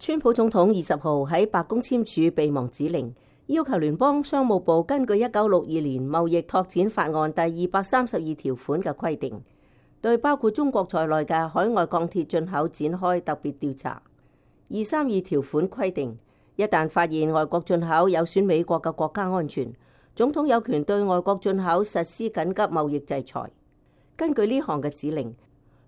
川普總統20號喺白宮簽署備忘指令，要求聯邦商務部根據1962年貿易拓展法案第232條款嘅規定，對包括中國在內嘅海外鋼鐵進口展開特別調查。232條款規定，一旦發現外國進口有損美國嘅國家安全，總統有權對外國進口實施緊急貿易制裁。根據呢項嘅指令，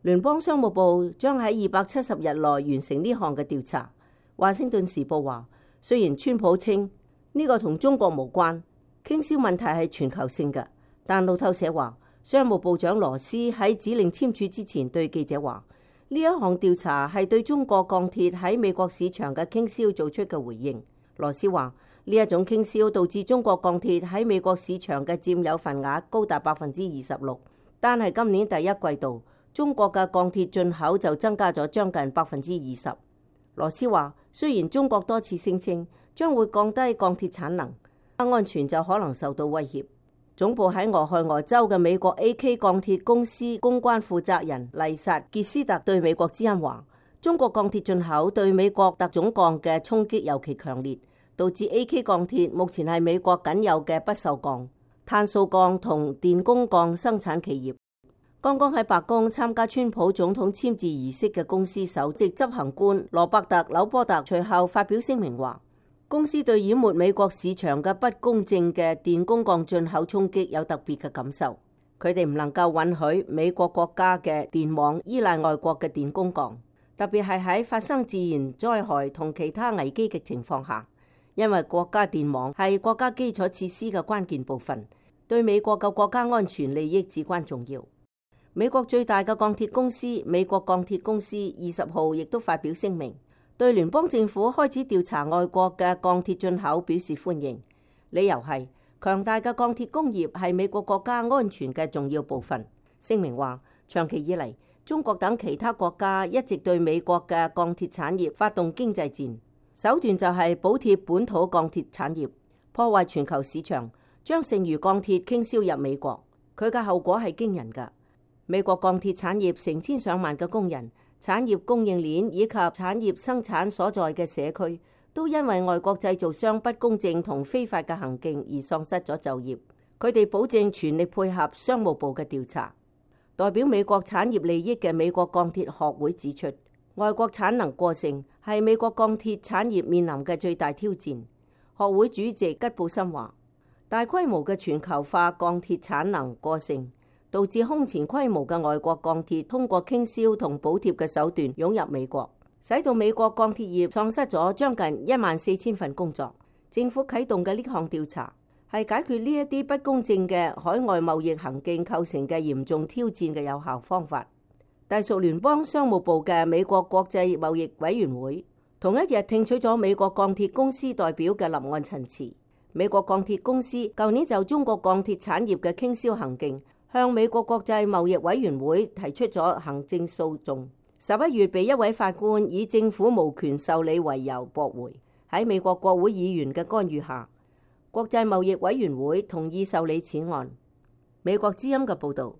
聯邦商務部將喺270日內完成呢項嘅調查。華盛頓時報話，雖然川普稱呢個同中國無關，傾銷問題係全球性嘅，但路透社話，商務部長羅斯喺指令簽署之前對記者話，呢一項調查係對中國鋼鐵喺美國市場嘅傾銷做出嘅回應。羅斯話，呢一種傾銷導致中國鋼鐵喺美國市場嘅佔有份額高達26%，單係今年第一季度，中國嘅鋼鐵進口就增加咗將近20%。羅斯話，雖然中國多次聲稱將會降低鋼鐵產能，安全就可能受到威脅。總部喺俄亥俄州嘅美國 AK 鋼鐵公司公關負責人麗薩傑斯特對美國之音話，中國鋼鐵進口對美國特種鋼嘅衝擊尤其強烈，導致 AK 鋼鐵目前係美國僅有嘅不鏽鋼、碳素鋼同電工鋼生產企業。剛剛喺白宮參加川普總統簽字儀式嘅公司首席執行官羅伯特·紐波特隨後發表聲明話，公司對淹沒美國市場嘅不公正嘅電工鋼進口衝擊有特別嘅感受。佢哋唔能夠允許美國國家嘅電網依賴外國嘅電工鋼，特別係喺發生自然災害同其他危機嘅情況下，因為國家電網係國家基礎設施嘅關鍵部分，對美國嘅國家安全利益至關重要。美國最大嘅鋼鐵公司美國鋼鐵公司20號亦都發表聲明，對聯邦政府開始調查外國嘅鋼鐵進口表示歡迎，理由係強大嘅鋼鐵工業係美國國家安全嘅重要部分。聲明話，長期以嚟，中國等其他國家一直對美國嘅鋼鐵產業發動經濟戰，手段就係補貼本土鋼鐵產業，破壞全球市場，將剩餘鋼鐵傾銷入美國。佢嘅後果係驚人㗎。美國鋼鐵產業成千上萬嘅工人、產業供應鏈以及產業生產所在嘅社區，都因為外國製造商不公正同非法嘅行徑而喪失咗就業。佢哋保證全力配合商務部嘅調查。代表美國產業利益嘅美國鋼鐵學會指出，外國產能過剩係美國鋼鐵產業面臨嘅最大挑戰。學會主席吉布森話，大規模嘅全球化鋼鐵產能過剩，導致空前規模嘅外國鋼鐵通過傾銷同補貼嘅手段湧入美國，使到美國鋼鐵業喪失咗將近14000份工作。政府啟動嘅呢項調查係解決呢一啲不公正嘅海外貿易行徑構成嘅嚴重挑戰嘅有效方法。隸屬聯邦商務部嘅美國國際貿易委員會同一日聽取咗美國鋼鐵公司代表嘅立案陳詞。美國鋼鐵公司舊年就中國鋼鐵產業嘅傾銷行徑向美國國際貿易委員會提出咗行政訴訟，11月被一位法官以政府無權受理為由駁回。喺美國國會議員嘅干預下，國際貿易委員會同意受理此案。美國之音嘅報導。